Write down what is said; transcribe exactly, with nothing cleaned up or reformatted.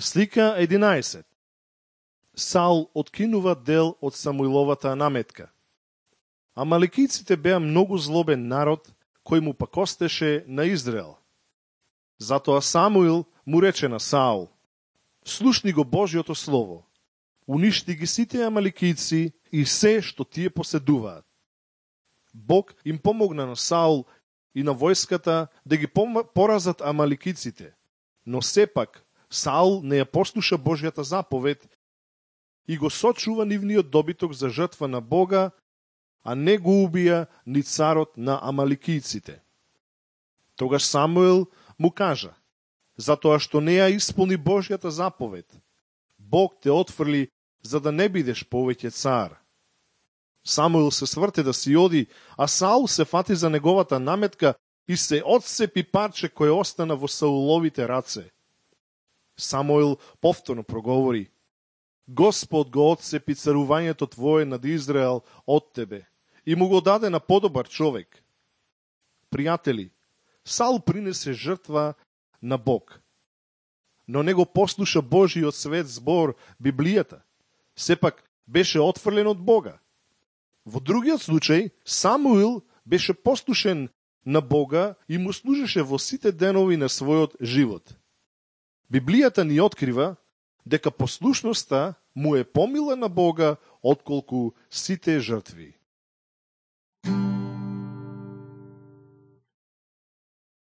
Слика единаесет. Саул откинува дел од Самуиловата наметка. Амаликиците беа многу злобен народ, кој му пакостеше на Израел. Затоа Самуил му рече на Саул: слушни го Божјото слово, уништи ги сите амаликици и се што тие поседуваат. Бог им помогна на Саул и на војската да ги поразат амаликиците, но сепак Саул не ја послуша Божјата заповед и го сочува нивниот добиток за жртва на Бога, а не го убија ни царот на амаликиците. Тогаш Самуил му кажа: затоа што не ја исполни Божјата заповед, Бог те отфрли за да не бидеш повеќе цар. Самуил се сврте да си оди, а Саул се фати за неговата наметка и се отцепи парче кој остана во Сауловите раце. Самуил повторно проговори: Господ го отцепи царувањето твое над Израел од тебе и му го даде на подобар човек. Пријатели, Саул принесе жртва на Бог, но не го послуша Божиот свет збор, Библијата. Сепак беше отфрлен од Бога. Во другиот случај, Самуил беше послушен на Бога и му служеше во сите денови на својот живот. Библијата ни открива дека послушноста му е помила на Бога отколку сите жртви.